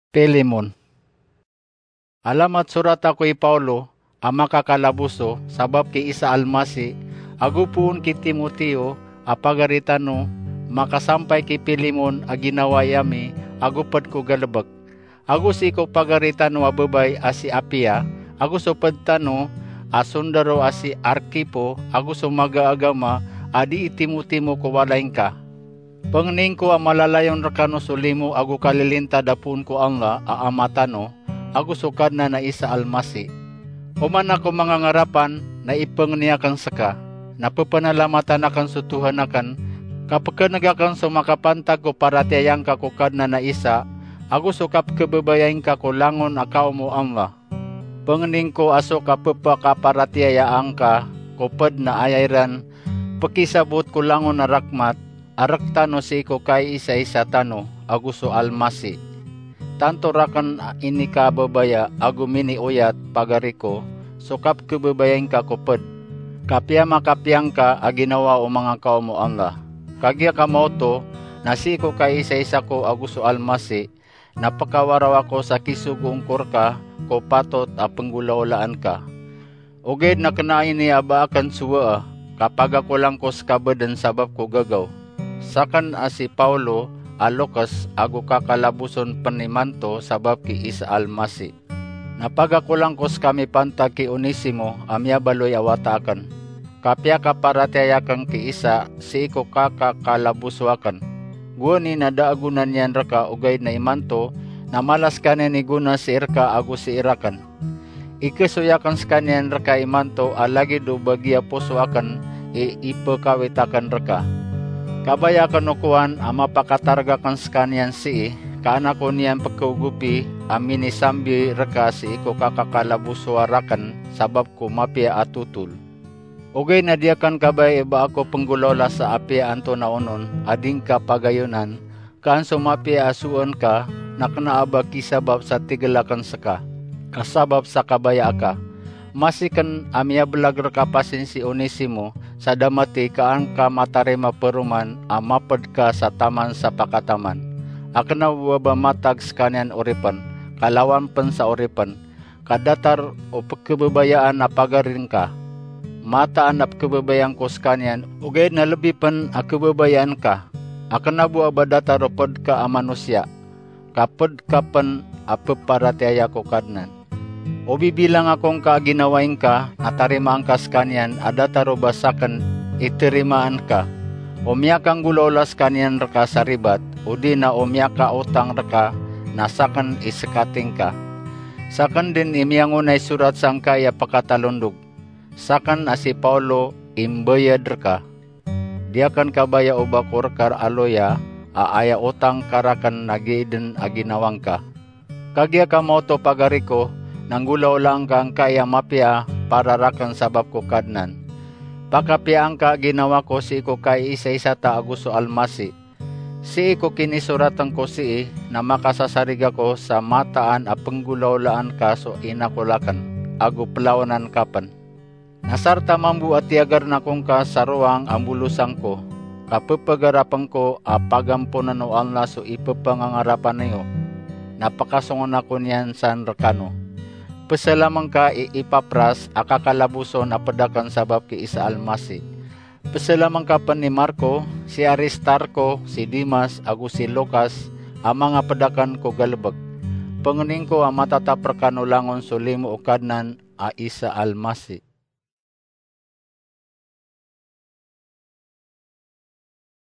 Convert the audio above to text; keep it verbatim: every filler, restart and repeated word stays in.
Pilemon. Alamat sorat ako i Pawlo a makakalaboso sabap ki Isa Almasi, ago poon ki Timoteo a pagari tano, makasampay ki Pilemon a ginawai ami ago pd ko galbk. Ago sii ko pagari tano a babay a si Apia, ago so pd tano a sondaro a si Arkipo, ago so maga a agama a dii timotimo ko walay ngka. Pangnin ko a malalayon rkano so limo ago kalilintad a poon ko Allah a Ama tano, ago so Kadnan a Isa Almasi. Oman ako manga ngarapan na ipangni akn ska, na ppanalamatan akn so Tuhan akn, ka pkhan'g akn so makapantag ko paratiyaya ngka ko Kadnan a Isa, ago so kapkhababayai ngka ko langon a kaom o Allah. Pangnin ko a so kapphakaparatiyayaan ka ko pd na aya iran pkisabot ko langon a rakhmat a rktano sii ko kaiisaisa tano ago so Almasi. Tanto rakn a inikababaya ago minioyat, pagari ko, so kapkhababayai ngka ko pd, ka piyamakapiya ngka a ginawa o manga kaom o Allah. Kagiya ka maoto na sii ko kaiisaisa ko ago so Almasi, na pkawaraw ako sa kisogoon ko rka ko patot a pnggolaolaan ka. Ogaid na kna ini a ba akn sowaa, ka pagakolang ko ska bdn sabap ko gagaw. Sakn a si Pawlo a lokes ago kakalaboson pn imanto sabap ki Isa Almasi. Na pagakolang ko ska mipantag ki Onesimo a miyabaloy a wata akn. Ka piyakaparatiyaya akn ki Isa sii ko kakakalaboso akn. Gowani na da a gona niyan rka, ogaid na imanto na mala skaniyan i gona sii rka ago sii rakn. Ikhasoy akn skaniyan rka imanto a lagid o bagiya poso akn i ipkhawit akn rka. Kabaya akn o kowan a mapakatarg akn skaniyan sii, ka an ako niyan pkhaogopi a minisambi rka sii ko kakakalabosoa rakn sabap ko mapiya a totol. Ogaid na di akn kabaya i ba ako pnggolaola sa apiya antonaa onon a di ngka pagayonan, ka an so mapiya a sowaan ka na kna a ba kisabap sa tigl akn ska, ka sabap sa kabaya aka. Masi kn a miyablag rka pasin si Onesimo sa da mathay, ka an ka matarima paroman a mapd ka sa taman sa pakataman, a kna bo a ba matag skaniyan oripn, ka lawan pn sa oripn, ka datar o pkhababayaan a pagari ngka. Mataan a pkhababayaan ko skaniyan, ogaid na lbi pn a khababayaan ka, a kna bo a ba datar o pd ka a manosiya, ka pd ka pn a pparatiyaya ko Kadnan. O bibilang ako ngka a ginawai ngka, na tarimaan ka skaniyan a datar o ba sakn i tarimaan ka. O miyakanggolaola skaniyan rka sa ribat, odi na o miyakaotang rka, na sakn i skati ngka. Sakn dn i miyangonay sorat sangkai a pakatalondog. Sakn a si Pawlo i mbayad rka. Di akn kabaya o ba ko rka a loya a aya otang ka rakn na giya dn a ginawa ngka. Kagiya ka maoto, pagari ko, na nggolaolaan ka angkai a mapiya para rakn sabap ko Kadnan. Pakapiyaan ka a ginawa ko sii ko kaiisaisa ta ago so Almasi. Sii ko kinisoratn ko sii na makasasarig ako sa mataan a pnggolaolaan ka so inakol akn, ago plawanan ka pn. Na sarta mambo a tiyagarn ako ngka sa rowang a mbolosan ko, ka pphagarapn ko a pagamponan o Allah so ipphangangarapan iyo, na pakasongon ako niyan san rkano. Pzalamn ka i Epapras a kakalaboson a pd akn sabap ki Isa Almasi. Pzalamn ka pn i Marko, si Aristarko, si Demas, ago si Lukas, a manga pd akn ko galbk. Pangnin ko a matatap rkano langon so limo o Kadnan a Isa Almasi.